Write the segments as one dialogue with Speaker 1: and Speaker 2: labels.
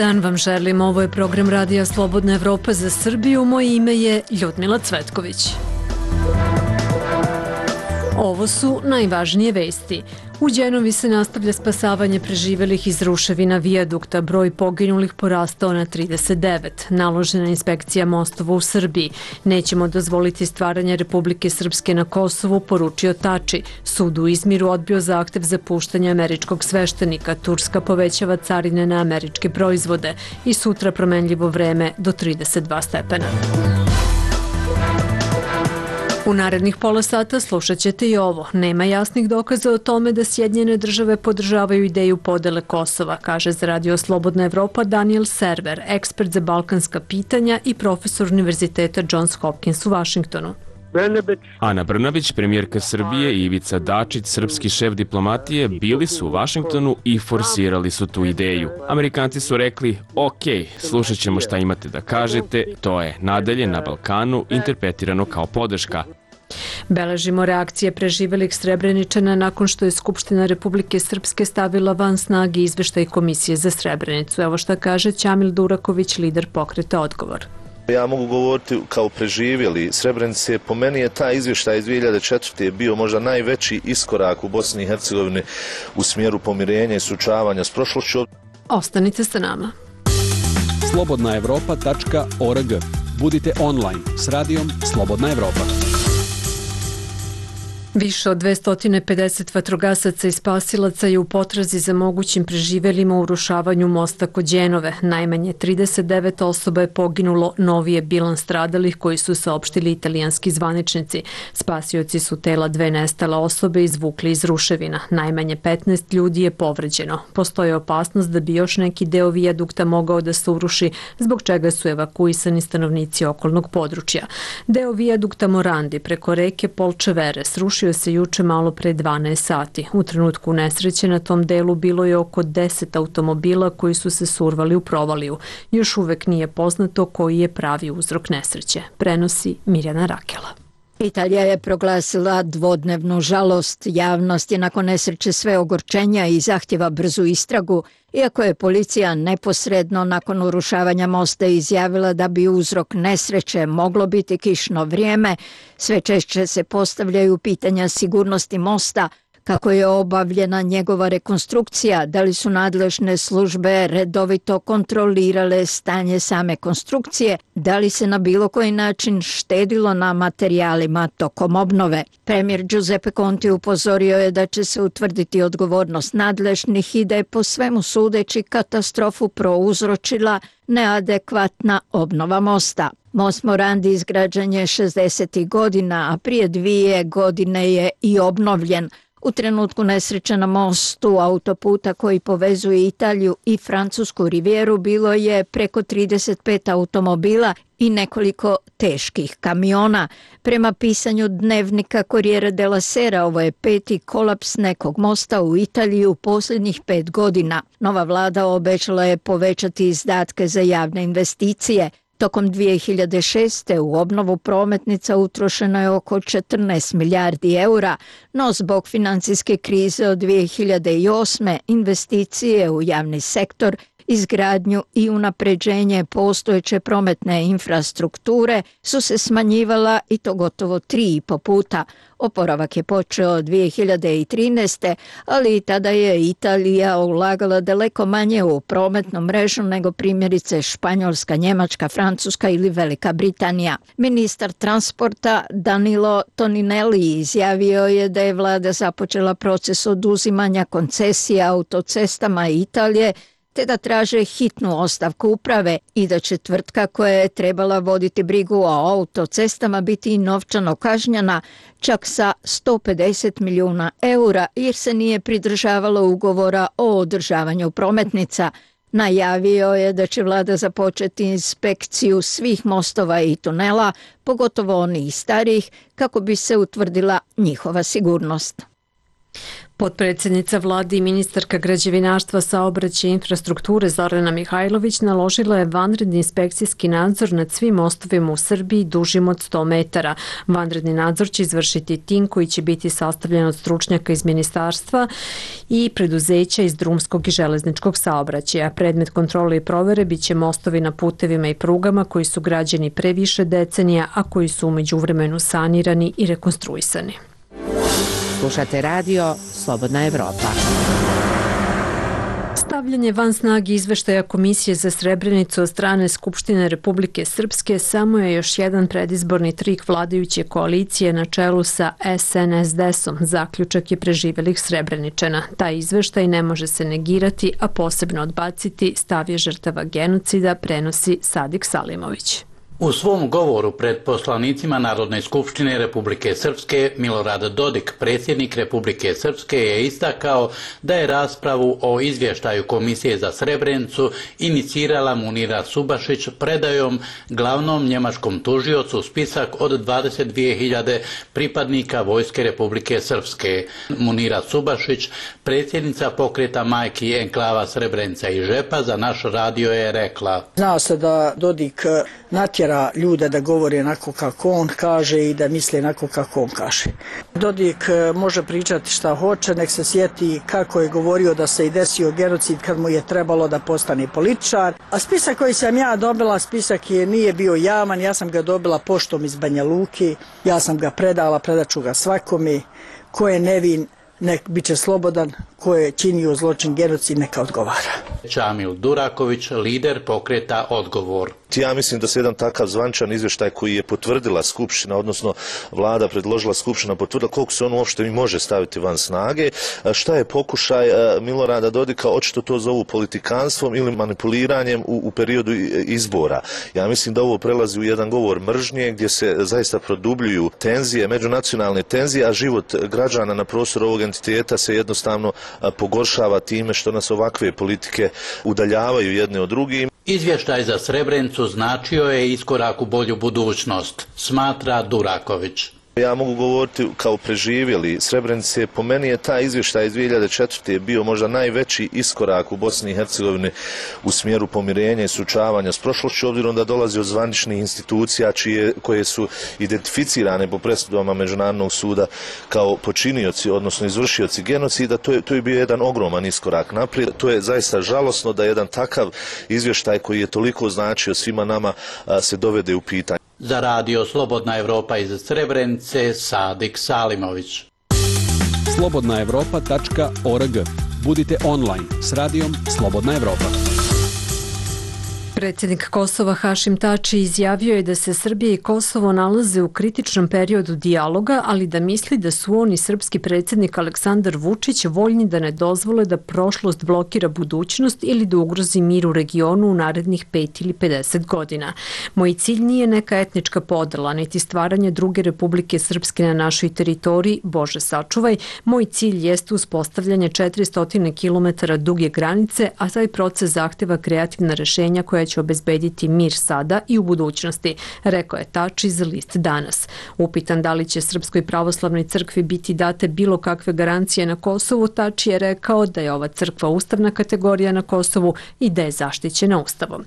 Speaker 1: dan vam želim, ovo je program Radija Slobodna Evropa za Srbiju, moje ime je Ljudmila Cvetković. Ovo su najvažnije vesti. U Đenovi se nastavlja spasavanje preživelih iz ruševina vijadukta, broj poginulih porastao na 39. Naložena inspekcija mostova u Srbiji. Nećemo dozvoliti stvaranje Republike Srpske na Kosovu, poručio Tači. Sud u Izmiru odbio zahtev za puštanje američkog sveštenika. Turska povećava carine na američke proizvode i sutra promenljivo vreme do 32 stepena. U narednih pola sata slušat ćete i ovo. Nema jasnih dokaza o tome da Sjedinjene države podržavaju ideju podele Kosova, kaže za Radio Slobodna Evropa Daniel Server, ekspert za balkanska pitanja i profesor Univerziteta Johns Hopkins u Vašingtonu.
Speaker 2: Ana Brnabić, premijerka Srbije i Ivica Dačić, srpski šef diplomatije, bili su u Vašingtonu i forsirali su tu ideju. Amerikanci su rekli, ok, slušat ćemo šta imate da kažete, to je nadalje na Balkanu interpretirano kao podrška.
Speaker 1: Beležimo reakcije preživelih Srebreničana nakon što je Skupština Republike Srpske stavila van snage izveštaj Komisije za Srebrenicu. Evo šta kaže Ćamil Duraković, lider pokreta Odgovor.
Speaker 3: Ja mogu govoriti kao preživjeli Srebrenice. Po meni je taj izvještaj iz 2004. bio možda najveći iskorak u Bosni i Hercegovini u smjeru pomirenja i suočavanja s prošlošću.
Speaker 1: Ostanite sa nama.
Speaker 4: slobodnaevropa.org. Budite online s radijom Slobodna Evropa.
Speaker 1: Više od 250 vatrogasaca i spasilaca je u potrazi za mogućim preživelima u urušavanju mosta kod Đenove. Najmanje 39 osoba je poginulo, novi je bilans stradalih koji su saopštili italijanski zvaničnici. Spasioci su tela dve nestale osobe izvukli iz ruševina. Najmanje 15 ljudi je povređeno. Postoji opasnost da bi još neki deo vijadukta mogao da se uruši, zbog čega su evakuisani stanovnici okolnog područja. Deo vijadukta Morandi preko reke Polčevere srušio se juče malo pre 12 sati. U trenutku nesreće na tom delu bilo je oko 10 automobila koji su se survali u provaliju. Još uvek nije poznato koji je pravi uzrok nesreće, prenosi Mirjana Rakela.
Speaker 5: Italija je proglasila dvodnevnu žalost. Javnost je nakon nesreće sve ogorčenja i zahtjeva brzu istragu, iako je policija neposredno nakon urušavanja mosta izjavila da bi uzrok nesreće moglo biti kišno vrijeme. Sve češće se postavljaju pitanja sigurnosti mosta, kako je obavljena njegova rekonstrukcija, da li su nadležne službe redovito kontrolirale stanje same konstrukcije, da li se na bilo koji način štedilo na materijalima tokom obnove. Premijer Giuseppe Conte upozorio je da će se utvrditi odgovornost nadležnih i da je po svemu sudeći katastrofu prouzročila neadekvatna obnova mosta. Most Morandi izgrađen je 60. godina, a prije 2 godine je i obnovljen. U trenutku nesreće na mostu autoputa koji povezuje Italiju i Francusku rivijeru bilo je preko 35 automobila i nekoliko teških kamiona. Prema pisanju dnevnika Corriere della Sera, ovo je 5. kolaps nekog mosta u Italiji u posljednjih 5 godina. Nova vlada obećala je povećati izdatke za javne investicije. Tokom 2006. u obnovu prometnica utrošeno je oko 14 milijardi eura, no zbog financijske krize od 2008. investicije u javni sektor, izgradnju i unapređenje postojeće prometne infrastrukture su se smanjivala i to gotovo 3,5 puta. Oporavak je počeo 2013. ali i tada je Italija ulagala daleko manje u prometnu mrežu nego primjerice Španjolska, Njemačka, Francuska ili Velika Britanija. Ministar transporta Danilo Toninelli izjavio je da je vlada započela proces oduzimanja koncesija autocestama Italije, te da traže hitnu ostavku uprave i da će tvrtka koja je trebala voditi brigu o autocestama biti novčano kažnjena čak sa 150 milijuna eura jer se nije pridržavala ugovora o održavanju prometnica. Najavio je da će vlada započeti inspekciju svih mostova i tunela, pogotovo onih starih, kako bi se utvrdila njihova sigurnost.
Speaker 1: Potpredsjednica vlade i ministarka građevinarstva, saobraćaja i infrastrukture Zorana Mihajlović naložila je vanredni inspekcijski nadzor nad svim mostovima u Srbiji dužim od 100 metara. Vanredni nadzor će izvršiti tim koji će biti sastavljen od stručnjaka iz ministarstva i preduzeća iz drumskog i železničkog saobraćaja. Predmet kontrole i provere biće mostovi na putevima i prugama koji su građeni pre više decenija, a koji su u međuvremenu sanirani i rekonstruisani.
Speaker 6: Slušate radio Slobodna Evropa.
Speaker 1: Stavljanje van snage izveštaja Komisije za Srebrenicu od strane Skupštine Republike Srpske samo je još jedan predizborni trik vladajuće koalicije na čelu sa SNSD-om, zaključak je preživelih Srebreničana. Taj izveštaj ne može se negirati, a posebno odbaciti, stav je žrtava genocida, prenosi Sadik Salimović.
Speaker 7: U svom govoru pred poslanicima Narodne skupštine Republike Srpske, Milorad Dodik, predsjednik Republike Srpske, je istakao da je raspravu o izvještaju Komisije za Srebrenicu inicirala Munira Subašić predajom glavnom njemačkom tužiocu spisak od 22.000 pripadnika Vojske Republike Srpske. Munira Subašić, predsjednica pokreta majki enklava Srebrenica i Žepa, za naš radio je rekla:
Speaker 8: Zna se da Dodik natjera ljude da govore onako kako on kaže i da misle onako kako on kaže. Dodik može pričati šta hoće, nek se sjeti kako je govorio da se i desio genocid kad mu je trebalo da postane političar. A spisak koji sam ja dobila, spisak nije bio javan, ja sam ga dobila poštom iz Banja Luke, ja sam ga predala, predaću ga svakome. Ko je nevin, nek bit će slobodan, ko je činio zločin genocid, neka odgovara.
Speaker 7: Čamil Duraković, lider pokreta Odgovor.
Speaker 3: Ja mislim da se jedan takav zvančan izvještaj koji je potvrdila Skupština, odnosno vlada predložila, Skupština potvrdila, koliko se on uopšte i može staviti van snage. Šta je pokušaj Milorada Dodika? Očito to zovu politikanstvom ili manipuliranjem u periodu izbora. Ja mislim da ovo prelazi u jedan govor mržnje gdje se zaista produbljuju tenzije, međunacionalne tenzije, a život građana na prostoru ovog entiteta se jednostavno pogoršava time što nas ovakve politike udaljavaju jedne od drugih.
Speaker 7: Izvještaj za Srebrenicu značio je iskorak u bolju budućnost, smatra Duraković.
Speaker 3: Ja mogu govoriti kao preživjeli Srebrenice, po meni je taj izvještaj iz 2004. bio možda najveći iskorak u Bosni i Hercegovini u smjeru pomirenja i suočavanja s prošlošću, obzirom da dolazi od zvaničnih institucija koje su identificirane po presudama Međunarodnog suda kao počinioci, odnosno izvršioci genocida. To je bio jedan ogroman iskorak naprijed. To je zaista žalosno da jedan takav izvještaj koji je toliko značio svima nama se dovede u pitanje.
Speaker 7: Za radio Slobodna Evropa iz Srebrenice, Sadik Salimović.
Speaker 4: slobodnaevropa.org. Budite online s radijom Slobodna Evropa.
Speaker 1: Predsjednik Kosova Hašim Tači izjavio je da se Srbija i Kosovo nalaze u kritičnom periodu dijaloga, ali da misli da su on i srpski predsjednik Aleksandar Vučić voljni da ne dozvole da prošlost blokira budućnost ili da ugrozi mir u regionu u narednih 5 ili 50 godina. Moj cilj nije neka etnička podela, niti stvaranje druge Republike Srpske na našoj teritoriji, Bože sačuvaj. Moj cilj jeste uspostavljanje 400 km duge granice, a taj proces zahteva kreativna rješenja koja će obezbediti mir sada i u budućnosti, rekao je Tači za list Danas. Upitan da li će Srpskoj pravoslavnoj crkvi biti date bilo kakve garancije na Kosovu, Tači je rekao da je ova crkva ustavna kategorija na Kosovu i da je zaštićena ustavom.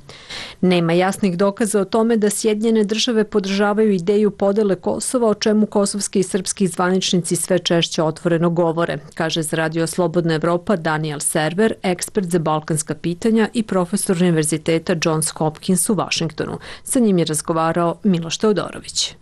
Speaker 1: Nema jasnih dokaza o tome da Sjedinjene države podržavaju ideju podele Kosova, o čemu kosovski i srpski zvaničnici sve češće otvoreno govore, kaže za radio Slobodna Evropa Daniel Server, ekspert za balkanska pitanja i profesor univerziteta Johns Hopkins u Vašingtonu. Sa njim je razgovarao Miloš Teodorović.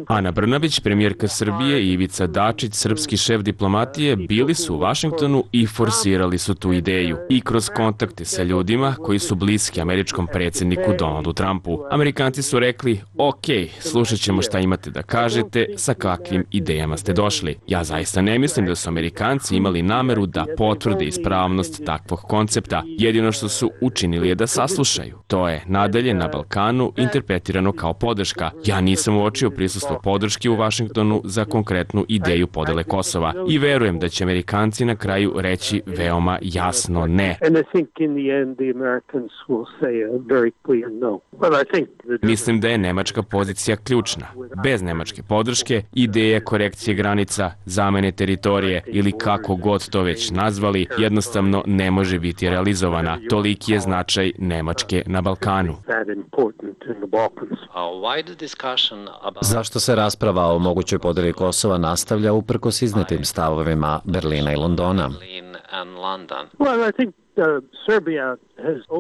Speaker 2: Ana Brnabić, premijerka Srbije, i Ivica Dačić, srpski šef diplomatije, bili su u Vašingtonu i forsirali su tu ideju. I kroz kontakte sa ljudima koji su bliski američkom predsjedniku Donaldu Trumpu. Amerikanci su rekli: ok, slušat ćemo šta imate da kažete, sa kakvim idejama ste došli. Ja zaista ne mislim da su Amerikanci imali nameru da potvrde ispravnost takvog koncepta. Jedino što su učinili je da saslušaju. To je nadalje na Balkanu intervencija interpretirano kao podrška. Ja nisam uočio prisustvo podrške u Vašingtonu za konkretnu ideju podele Kosova i verujem da će Amerikanci na kraju reći veoma jasno ne. Mislim da je nemačka pozicija ključna. Bez nemačke podrške, ideje korekcije granica, zamene teritorije ili kako god to već nazvali, jednostavno ne može biti realizovana. Toliki je značaj Nemačke na Balkanu.
Speaker 9: Zašto se rasprava o mogućoj podeli Kosova nastavlja uprkos iznetim stavovima Berlina i Londona?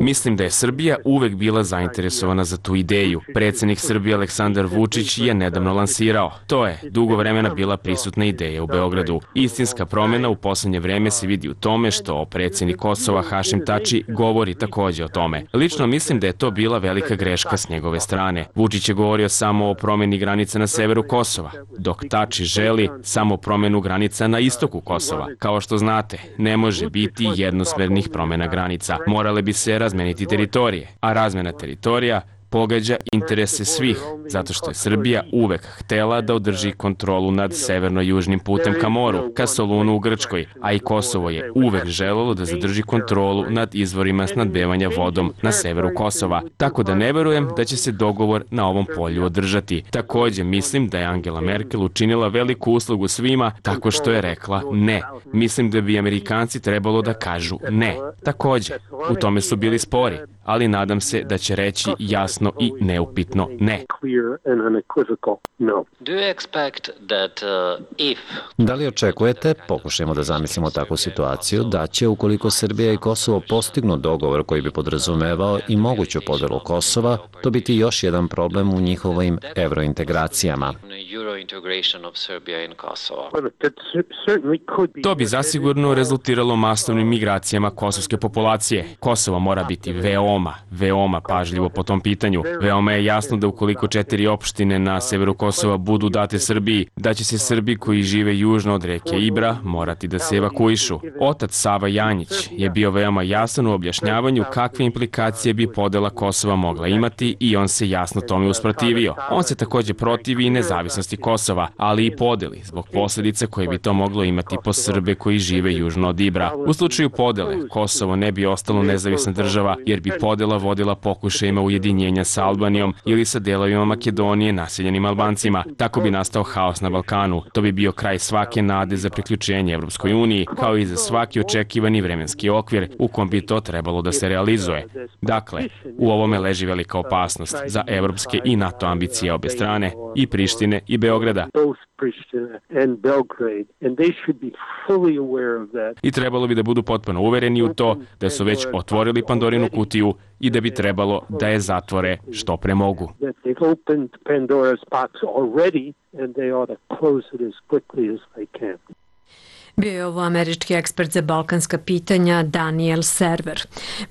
Speaker 2: Mislim da je Srbija uvek bila zainteresovana za tu ideju. Predsjednik Srbije Aleksandar Vučić je nedavno lansirao. To je dugo vremena bila prisutna ideja u Beogradu. Istinska promjena u poslednje vreme se vidi u tome što predsjednik Kosova Hašim Tači govori takođe o tome. Lično mislim da je to bila velika greška s njegove strane. Vučić je govorio samo o promjeni granica na severu Kosova, dok Tači želi samo promjenu granica na istoku Kosova. Kao što znate, ne može biti jednosmernih promjena granica. Morale bi se razmeniti teritorije, a razmena teritorija pogađa interese svih, zato što je Srbija uvek htela da održi kontrolu nad severno-južnim putem ka moru, ka Solunu u Grčkoj, a i Kosovo je uvek želelo da zadrži kontrolu nad izvorima snadbevanja vodom na severu Kosova, tako da ne verujem da će se dogovor na ovom polju održati. Takođe, mislim da je Angela Merkel učinila veliku uslugu svima tako što je rekla ne. Mislim da bi Amerikanci trebalo da kažu ne. Takođe, u tome su bili spori, ali nadam se da će reći jasno i neupitno ne.
Speaker 9: Da li očekujete, pokušajmo da zamislimo takvu situaciju, da će ukoliko Srbija i Kosovo postignu dogovor koji bi podrazumevao i moguću podelu Kosova, to biti još jedan problem u njihovim evrointegracijama?
Speaker 2: To bi zasigurno rezultiralo masovnim migracijama kosovske populacije. Kosovo mora biti veoma pažljivo po tom pitanju. Veoma je jasno da ukoliko 4 opštine na severu Kosova budu date Srbiji, da će se Srbi koji žive južno od reke Ibra morati da se evakuišu. Otac Sava Janjić je bio veoma jasan u objašnjavanju kakve implikacije bi podela Kosova mogla imati i on se jasno tome usprotivio. On se takođe protivi i nezavisnosti Kosova, ali i podeli zbog posljedica koje bi to moglo imati po Srbe koji žive južno od Ibra. U slučaju podele, Kosovo ne bi ostalo nezavisna država jer bi podela vodila pokušajima ujedinjenja sa Albanijom ili sa delovima Makedonije naseljenim Albancima. Tako bi nastao haos na Balkanu. To bi bio kraj svake nade za priključenje Evropskoj uniji, kao i za svaki očekivani vremenski okvir u kom bi to trebalo da se realizuje. Dakle, u ovome leži velika opasnost za evropske i NATO ambicije obe strane, i Prištine i Beograda. I trebalo bi da budu potpuno uvereni u to da su već otvorili Pandorinu kutiju i da bi trebalo da je zatvore što pre mogu.
Speaker 1: Bio je ovo američki ekspert za balkanska pitanja Daniel Server.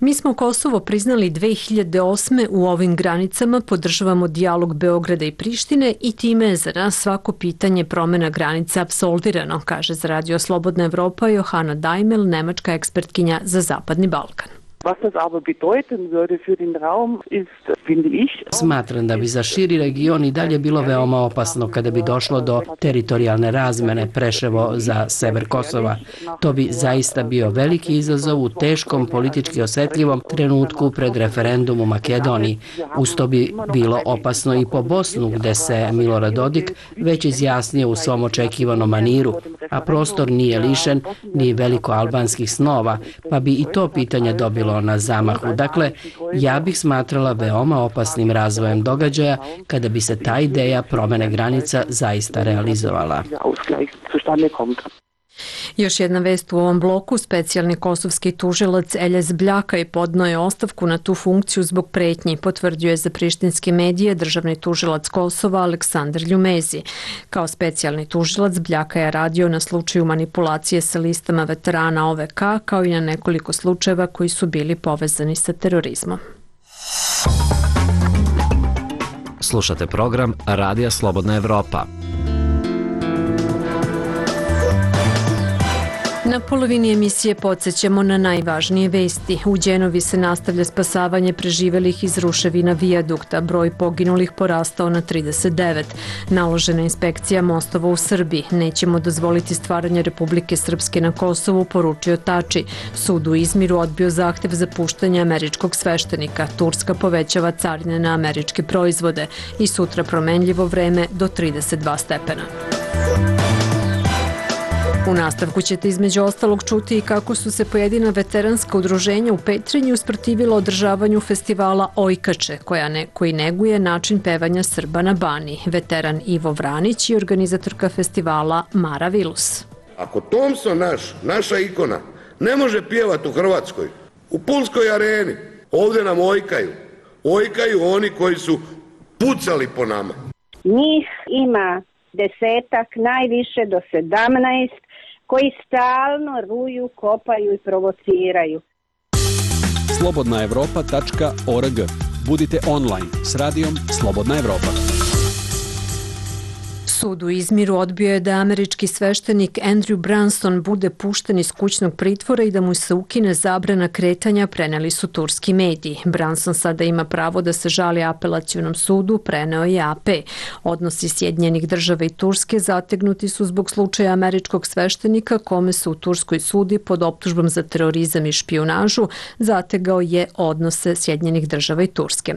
Speaker 1: Mi smo Kosovo priznali 2008. U ovim granicama podržavamo dijalog Beograda i Prištine i time je za nas svako pitanje promjena granica apsolvirano, kaže za Radio Slobodna Evropa Johana Daimel, nemačka ekspertkinja za Zapadni Balkan.
Speaker 10: Smatram da bi za širi region i dalje bilo veoma opasno kada bi došlo do teritorijalne razmene Preševo za sever Kosova. To bi zaista bio veliki izazov u teškom politički osetljivom trenutku pred referendum u Makedoniji. Uz to bi bilo opasno i po Bosnu, gde se Milorad Dodik već izjasnio u svom očekivanom maniru, a prostor nije lišen ni veliko albanskih snova, pa bi i to pitanje dobilo na zamahu. Dakle, ja bih smatrala veoma opasnim razvojem događaja kada bi se ta ideja promene granica zaista realizovala.
Speaker 1: Još jedna vest u ovom bloku, specijalni kosovski tužilac Eljez Bljaka podneo je ostavku na tu funkciju zbog pretnji, potvrdio je za prištinske medije državni tužilac Kosova Aleksandar Ljumezi. Kao specijalni tužilac Bljaka je radio na slučaju manipulacije sa listama veterana OVK, kao i na nekoliko slučajeva koji su bili povezani sa terorizmom.
Speaker 9: Slušate program Radija Slobodna Evropa.
Speaker 1: Na polovini emisije podsjećamo na najvažnije vesti. U Đenovi se nastavlja spasavanje preživelih iz ruševina vijadukta. Broj poginulih porastao na 39. Naložena inspekcija mostova u Srbiji. Nećemo dozvoliti stvaranje Republike Srpske na Kosovu, poručio Tači. Sud u Izmiru odbio zahtev za puštanje američkog sveštenika. Turska povećava carine na američke proizvode. I sutra promenljivo vreme do 32 stepena. U nastavku ćete između ostalog čuti i kako su se pojedina veteranska udruženja u Petrinji usprotivila održavanju festivala Ojkače, koji neguje način pevanja Srba na Baniji. Veteran Ivo Vranić i organizatorka festivala Mara Vilus.
Speaker 11: Ako Thompson naša ikona, ne može pjevati u Hrvatskoj, u Pulskoj areni, ovdje nam ojkaju. Ojkaju oni koji su pucali po nama.
Speaker 12: Njih ima 10, najviše do 17, koji stalno ruju, kopaju i provociraju.
Speaker 4: Slobodnaevropa.org. Budite online s radijom Slobodna Evropa.
Speaker 1: Sud u Izmiru odbio je da američki sveštenik Andrew Branson bude pušten iz kućnog pritvora i da mu se ukine zabrana kretanja, preneli su turski mediji. Branson sada ima pravo da se žali apelacionom sudu, preneo je AP. Odnosi Sjedinjenih Država i Turske zategnuti su zbog slučaja američkog sveštenika kome se u Turskoj sudi pod optužbom za terorizam i špijunažu zategao je odnose Sjedinjenih Država i Turske.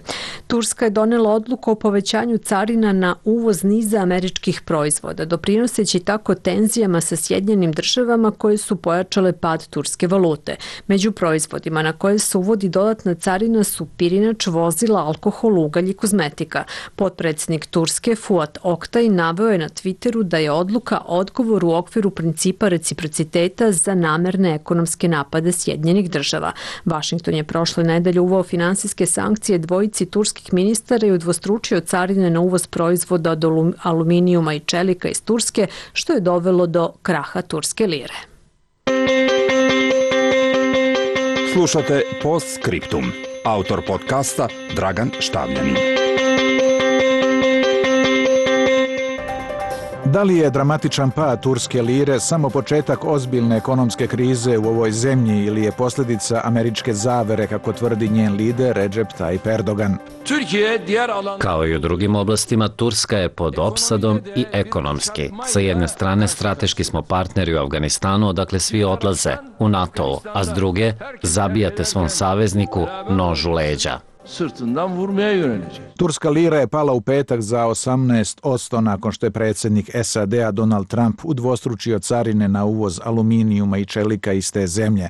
Speaker 1: Turska je donela odluku o povećanju carina na uvoz niza američkih proizvoda, doprinoseći tako tenzijama sa Sjedinjenim Državama koje su pojačale pad turske valute. Među proizvodima na koje se uvodi dodatna carina su pirinač, vozila, alkohol, ugalj i kozmetika. Potpredsjednik Turske Fuat Oktay naveo je na Twitteru da je odluka odgovor u okviru principa reciprociteta za namerne ekonomske napade Sjedinjenih Država. Vašington je prošle nedelje uveo finansijske sankcije dvojici turskih ministara i udvostručio carine na uvoz proizvoda od aluminijuma i čelika iz Turske, što je dovelo do kraha turske lire.
Speaker 13: Slušate Postscriptum. Autor podcasta Dragan Štavljanin.
Speaker 14: Da li je dramatičan pad turske lire samo početak ozbiljne ekonomske krize u ovoj zemlji ili je posljedica američke zavere, kako tvrdi njen lider Recep Tayyip Erdogan?
Speaker 9: Kao i u drugim oblastima, Turska je pod opsadom i ekonomski. Sa jedne strane, strateški smo partneri u Afganistanu, odakle svi odlaze, u NATO-u, a s druge, zabijate svom savezniku nož u leđa.
Speaker 14: Turska lira je pala u petak za 18% nakon što je predsjednik SAD-a Donald Trump udvostručio carine na uvoz aluminijuma i čelika iz te zemlje.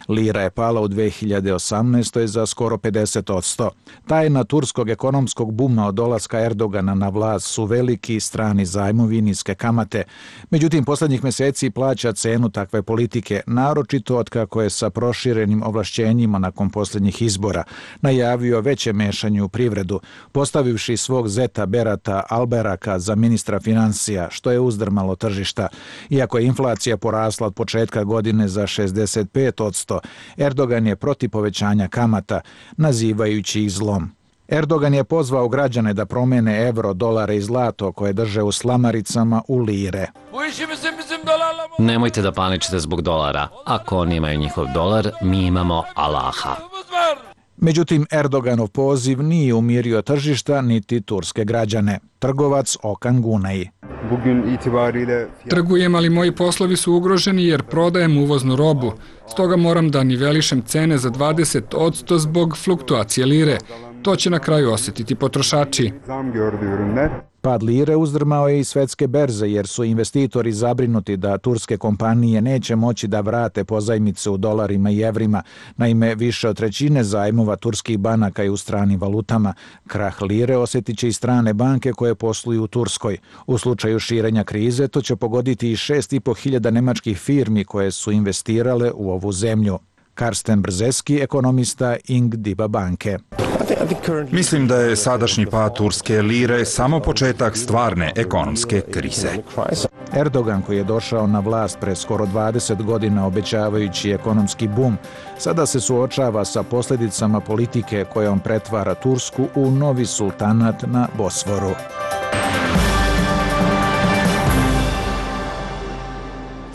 Speaker 14: Lira je pala u 2018. za skoro 50%. Tajna turskog ekonomskog buma od dolaska Erdogana na vlast su veliki strani zajmovi i niske kamate. Međutim, posljednjih mjeseci plaća cenu takve politike, naročito otkako je sa proširenim ovlašćenjima nakon posljednjih izbora najavio veće mešanje u privredu, postavivši svog zeta Berata Alberaka za ministra financija, što je uzdrmalo tržišta. Iako je inflacija porasla od početka godine za 65%, Erdogan je protiv povećanja kamata, nazivajući ih zlom. Erdogan je pozvao građane da promene evro, dolare i zlato koje drže u slamaricama u lire.
Speaker 9: Nemojte da paničite zbog dolara. Ako oni imaju njihov dolar, mi imamo Allaha.
Speaker 14: Međutim, Erdoganov poziv nije umirio tržišta niti turske građane. Trgovac Okan Gunay.
Speaker 15: Trgujem, ali moji poslovi su ugroženi jer prodajem uvoznu robu. Stoga moram da nivelišem cene za 20% zbog fluktuacije lire. To će na kraju osjetiti potrošači.
Speaker 14: Pad lire uzdrmao je i svetske berze jer su investitori zabrinuti da turske kompanije neće moći da vrate pozajmice u dolarima i evrima. Naime, više od trećine zajmova turskih banaka je u stranim valutama. Krah lire osjetit će i strane banke koje posluju u Turskoj. U slučaju širenja krize to će pogoditi i 6.500 nemačkih firmi koje su investirale u ovu zemlju. Karsten Brzeski, ekonomista Ing Diba banke.
Speaker 13: Mislim da je sadašnji pad turske lire samo početak stvarne ekonomske krize.
Speaker 14: Erdogan, koji je došao na vlast pre skoro 20 godina obećavajući ekonomski bum, sada se suočava sa posljedicama politike kojom pretvara Tursku u novi sultanat na Bosforu.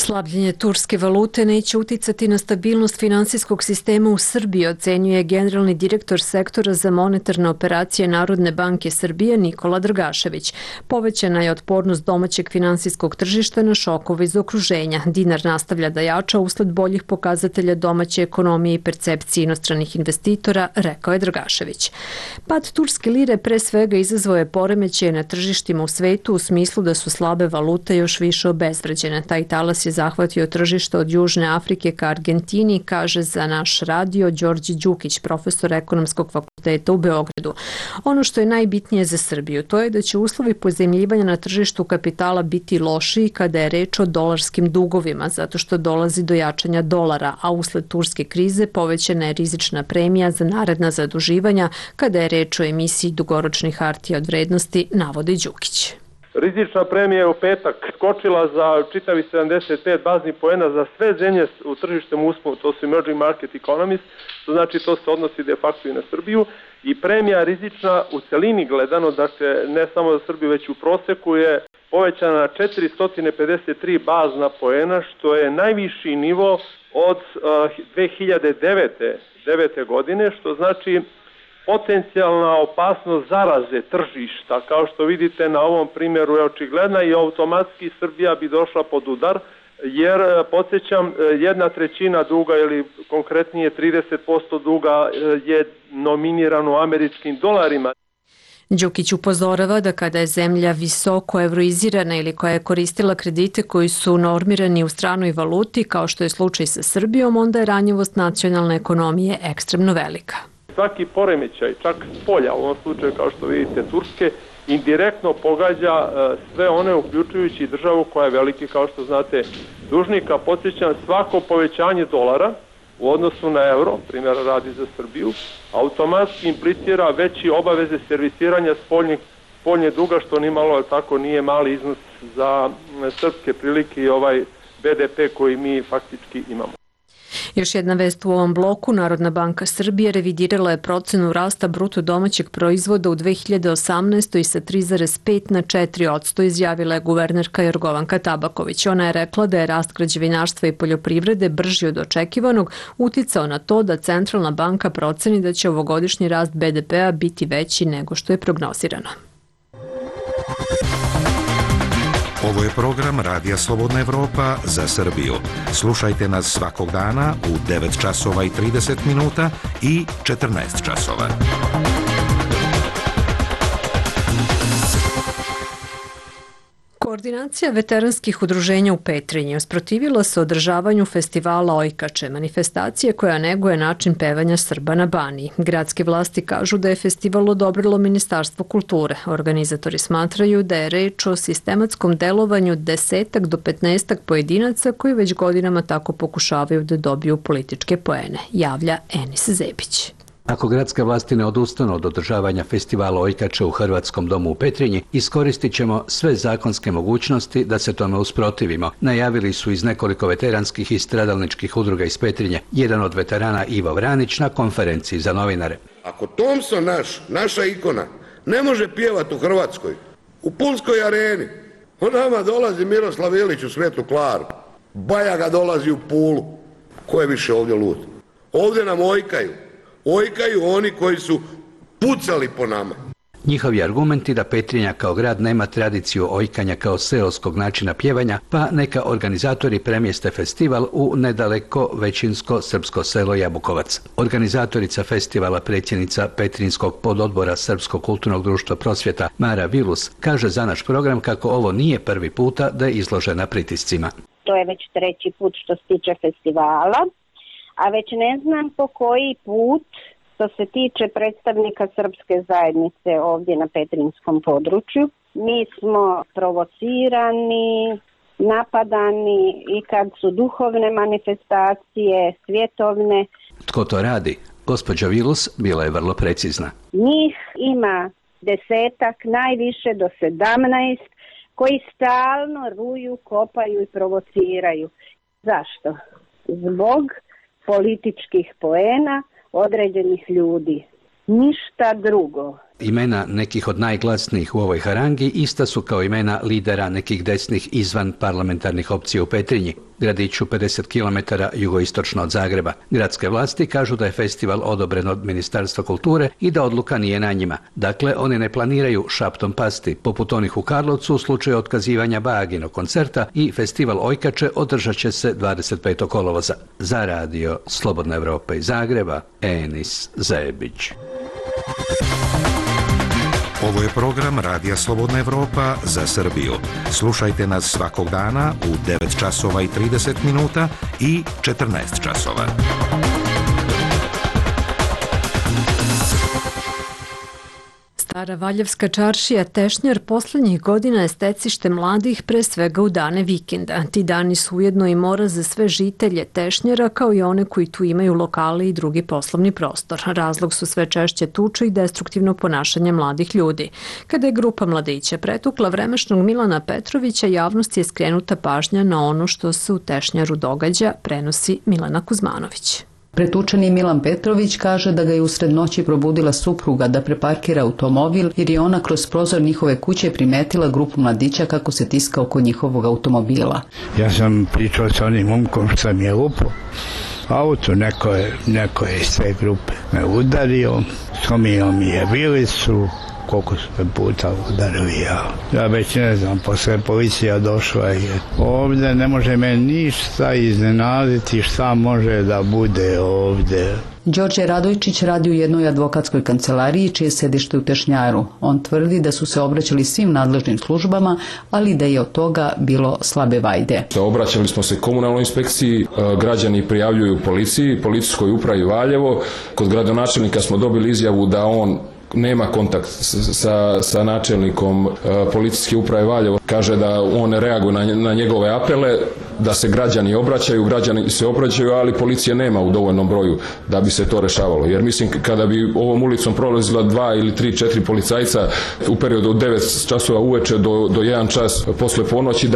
Speaker 1: Slabljenje turske valute neće uticati na stabilnost finansijskog sistema u Srbiji, ocenjuje generalni direktor sektora za monetarne operacije Narodne banke Srbije Nikola Dragašević. Povećana je otpornost domaćeg finansijskog tržišta na šokove iz okruženja. Dinar nastavlja da jača usled boljih pokazatelja domaće ekonomije i percepcije inostranih investitora, rekao je Dragašević. Pad turske lire pre svega izazvao je poremećaje na tržištima u svetu u smislu da su slabe valute još više obezvređene. Taj talas je zahvatio tržište od Južne Afrike ka Argentini, kaže za naš radio Đorđe Đukić, profesor ekonomskog fakulteta u Beogradu. Ono što je najbitnije za Srbiju, to je da će uslovi pozajmljivanja na tržištu kapitala biti lošiji kada je reč o dolarskim dugovima, zato što dolazi do jačanja dolara, a usled turske krize povećana je rizična premija za naredna zaduživanja kada je reč o emisiji dugoročnih hartija od vrednosti, navodi Đukić.
Speaker 16: Rizična premija je u petak skočila za čitavi 75 baznih poena za sve zemlje u tržištem usponu, to su emerging market economies, to znači to se odnosi de facto i na Srbiju, i premija rizična u celini gledano, dakle ne samo za Srbiju već u proseku je povećana na 453 bazna poena, što je najviši nivo od 2009. godine, što znači potencijalna opasnost zaraze tržišta, kao što vidite na ovom primjeru je očigledna i automatski Srbija bi došla pod udar, jer podsjećam 1/3 duga ili konkretnije 30% duga je nominirano u američkim dolarima.
Speaker 1: Đukić upozorava da kada je zemlja visoko evroizirana ili koja je koristila kredite koji su normirani u stranoj valuti, kao što je slučaj sa Srbijom, onda je ranjivost nacionalne ekonomije ekstremno velika.
Speaker 16: Svaki poremećaj, čak s polja, u ovom slučaju kao što vidite Turske, indirektno pogađa sve one, uključujući državu koja je veliki, kao što znate, dužnika. Podsjećam, svako povećanje dolara u odnosu na euro, primjera radi za Srbiju, automatski implicira veći obaveze servisiranja spoljnje duga, što ni malo tako nije mali iznos za srpske prilike i ovaj BDP koji mi faktički imamo.
Speaker 1: Još jedna vest u ovom bloku, Narodna banka Srbije revidirala je procenu rasta bruto domaćeg proizvoda u 2018. sa 3,5 na 4%, izjavila je guvernerka Jorgovanka Tabaković. Ona je rekla da je rast građevinarstva i poljoprivrede brži od očekivanog uticao na to da Centralna banka proceni da će ovogodišnji rast BDP-a biti veći nego što je prognozirano.
Speaker 17: Ovo je program Radija Slobodna Evropa za Srbiju. Slušajte nas svakog dana u 9 časova i 30 minuta i 14 časova.
Speaker 1: Koordinacija veteranskih udruženja u Petrinji usprotivila se održavanju festivala Ojkače, manifestacije koja neguje način pevanja Srba na Baniji. Gradske vlasti kažu da je festival odobrilo Ministarstvo kulture. Organizatori smatraju da je reč o sistematskom delovanju 10 do 15 pojedinaca koji već godinama tako pokušavaju da dobiju političke poene, javlja Enis Zebić.
Speaker 18: Ako gradske vlasti ne odustanu od održavanja festivala Ojkače u Hrvatskom domu u Petrinji, iskoristit ćemo sve zakonske mogućnosti da se tome usprotivimo, najavili su iz nekoliko veteranskih i stradalničkih udruga iz Petrinje. Jedan od veterana, Ivo Vranić, na konferenciji za novinare.
Speaker 11: Ako Thompson naša ikona, ne može pjevati u Hrvatskoj, u Pulskoj areni, on nama dolazi Miroslav Ilić u Svetu Klaru, Bajaga dolazi u Pulu. Ko je više ovdje lud? Ovdje nam ojkaju oni koji su pucali po nama.
Speaker 18: Njihovi argumenti da Petrinja kao grad nema tradiciju ojkanja kao seoskog načina pjevanja, pa neka organizatori premjeste festival u nedaleko većinsko srpsko selo Jabukovac. Organizatorica festivala, predsjednica Petrinjskog pododbora Srpskog kulturnog društva Prosvjeta, Mara Vilus, kaže za naš program kako ovo nije prvi puta da je izložena pritiscima.
Speaker 12: To je već 3. put što se tiče festivala, a već ne znam po koji put što se tiče predstavnika srpske zajednice ovdje na petrinjskom području. Mi smo provocirani, napadani i kad su duhovne manifestacije, svjetovne.
Speaker 18: Tko to radi? Gospođa Vilus bila je vrlo precizna.
Speaker 12: Njih ima 10, najviše do 17, koji stalno ruju, kopaju i provociraju. Zašto? Zbog političkih poena određenih ljudi. Ništa drugo.
Speaker 18: Imena nekih od najglasnijih u ovoj harangi ista su kao imena lidera nekih desnih izvan parlamentarnih opcija u Petrinji, gradiću 50 km jugoistočno od Zagreba. Gradske vlasti kažu da je festival odobren od Ministarstva kulture i da odluka nije na njima. Dakle, oni ne planiraju šaptom pasti, poput onih u Karlovcu u slučaju otkazivanja Baginog koncerta, i festival Ojkače održat će se 25. kolovoza. Za radio Slobodna Evropa iz Zagreba, Enis Zebić.
Speaker 17: Ovo je program Radija Slobodna Evropa za Srbiju. Slušajte nas svakog dana u 9 časova i 30 minuta i 14 časova.
Speaker 1: Stara Valjevska čaršija Tešnjar poslednjih godina je stecište mladih, pre svega u dane vikenda. Ti dani su ujedno i mora za sve žitelje Tešnjara, kao i one koji tu imaju lokale i drugi poslovni prostor. Razlog su sve češće tuče i destruktivno ponašanje mladih ljudi. Kada je grupa mladića pretukla vremešnog Milana Petrovića, javnosti je skrenuta pažnja na ono što se u Tešnjaru događa, prenosi Milena Kuzmanović.
Speaker 19: Pretučeni Milan Petrović kaže da ga je usred noći probudila supruga da preparkira automobil jer je ona kroz prozor njihove kuće primetila grupu mladića kako se tiska oko njihovog automobila.
Speaker 20: Ja sam pričao sa onim momkom što mi je lupao auto, neko je iz te grupe me udario, slomio mi je vilicu, koliko su me puta udarili ja već ne znam, posle policija došla i ovde ne može me ništa iznenaditi šta može da bude ovde.
Speaker 19: Đorđe Radojčić radi u jednoj advokatskoj kancelariji čije sedište u Tešnjaru. On tvrdi da su se obraćali svim nadležnim službama, ali da je od toga bilo slabe vajde.
Speaker 21: Obraćali smo se komunalnoj inspekciji, građani prijavljuju policiji, policijskoj upravi Valjevo. Kod gradonačelnika smo dobili izjavu da on nema kontakt sa načelnikom policijske uprave Valjevo. Kaže da on ne reaguje na njegove apele, da se građani se obraćaju, ali policije nema u dovoljnom broju da bi se to rešavalo. Jer mislim, kada bi ovom ulicom prolazila 2 ili 3, 4 policajca u periodu od 9 časova uveče do 1 čas posle ponoći,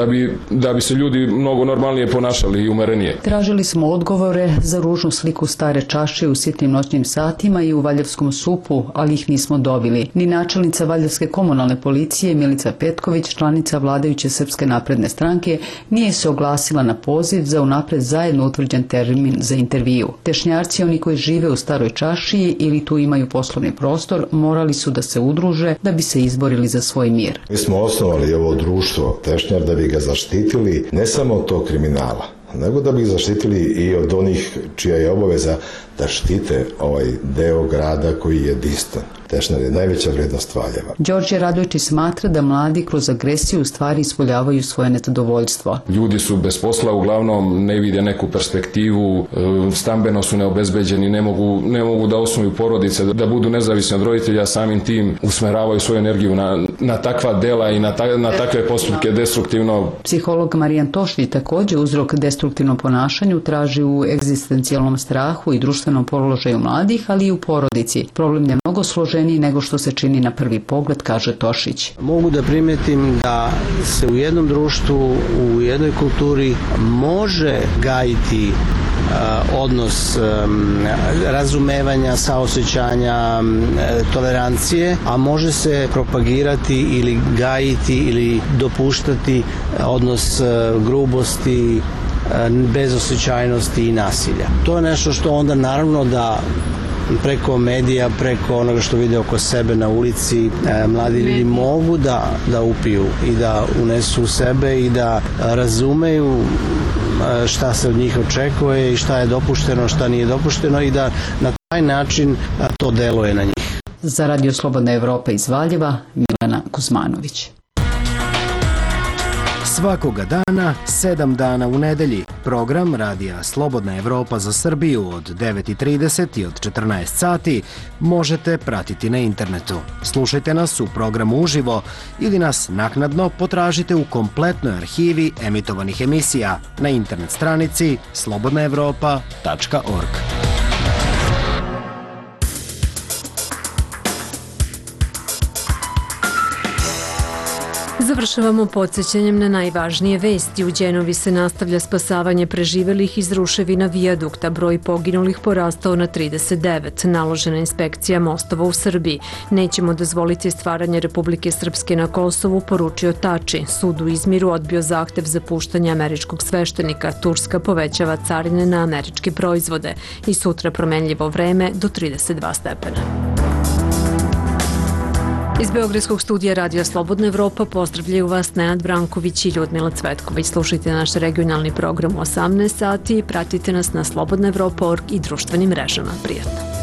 Speaker 21: da bi se ljudi mnogo normalnije ponašali i umerenije.
Speaker 19: Tražili smo odgovore za ružnu sliku stare čaše u sitnim noćnim satima i u Valjevskom supu, ali ih nismo dobili. Ni načelnica Valjevske komunalne policije Milica Petković, članica vladajuće Srpske napredne stranke, nije se oglasila na poziv za unapred zajedno utvrđen termin za intervju. Tešnjarci, oni koji žive u staroj čašiji ili tu imaju poslovni prostor, morali su da se udruže da bi se izborili za svoj mir.
Speaker 22: Mi smo osnovali ovo društvo Tešnjar da bi ga zaštitili ne samo od tog kriminala, nego da bi ih zaštitili i od onih čija je obaveza da štite ovaj deo grada koji je distan. Tešnjar je najveća vrednost Valjeva.
Speaker 19: Đorđe Radojčić smatra da mladi kroz agresiju u stvari ispoljavaju svoje nezadovoljstvo.
Speaker 21: Ljudi su bez posla, uglavnom ne vide neku perspektivu, stambeno su neobezbeđeni, ne mogu da osnuju porodice, da budu nezavisni od roditelja, samim tim usmeravaju svoju energiju na takva dela i na takve postupke destruktivno.
Speaker 19: Psiholog Marijan Tošlji također uzrok destruktivnom ponašanju traži u egzistencijalnom strahu i društvenom položaju mladih, ali i u porodici. Problem je mnogo složeniji nego što se čini na prvi pogled, kaže Tošić.
Speaker 23: Mogu da primetim da se u jednom društvu, u jednoj kulturi može gajiti odnos razumevanja, saosećanja, tolerancije, a može se propagirati ili gajiti ili dopuštati odnos grubosti, bezosećajnosti i nasilja. To je nešto što onda naravno da preko medija, preko onoga što vide oko sebe na ulici, mladi ljudi mogu da upiju i da unesu u sebe i da razumeju šta se od njih očekuje i šta je dopušteno, šta nije dopušteno i da na taj način to deluje na njih.
Speaker 19: Za Radio Slobodna Evropa iz Valjeva, Milena Kuzmanović.
Speaker 24: Svakoga dana, 7 dana u nedelji, program Radija Slobodna Evropa za Srbiju od 9:30 i od 14 sati možete pratiti na internetu. Slušajte nas u programu uživo ili nas naknadno potražite u kompletnoj arhivi emitovanih emisija na internet stranici slobodnaevropa.org.
Speaker 1: Završavamo podsjećanjem na najvažnije vesti. U Đenovi se nastavlja spasavanje preživelih iz ruševina vijadukta. Broj poginulih porastao na 39. Naložena inspekcija mostova u Srbiji. Nećemo dozvoliti stvaranje Republike Srpske na Kosovu, poručio Tači. Sud u Izmiru odbio zahtev za puštanje američkog sveštenika. Turska povećava carine na američke proizvode. I sutra promenljivo vreme do 32 stepena. Iz Beogradskog studija Radija Slobodna Evropa pozdravljaju vas Nenad Branković i Ljudmila Cvetković. Slušajte naš regionalni program u 18 sati i pratite nas na slobodnaevropa.org i društvenim mrežama. Prijatno!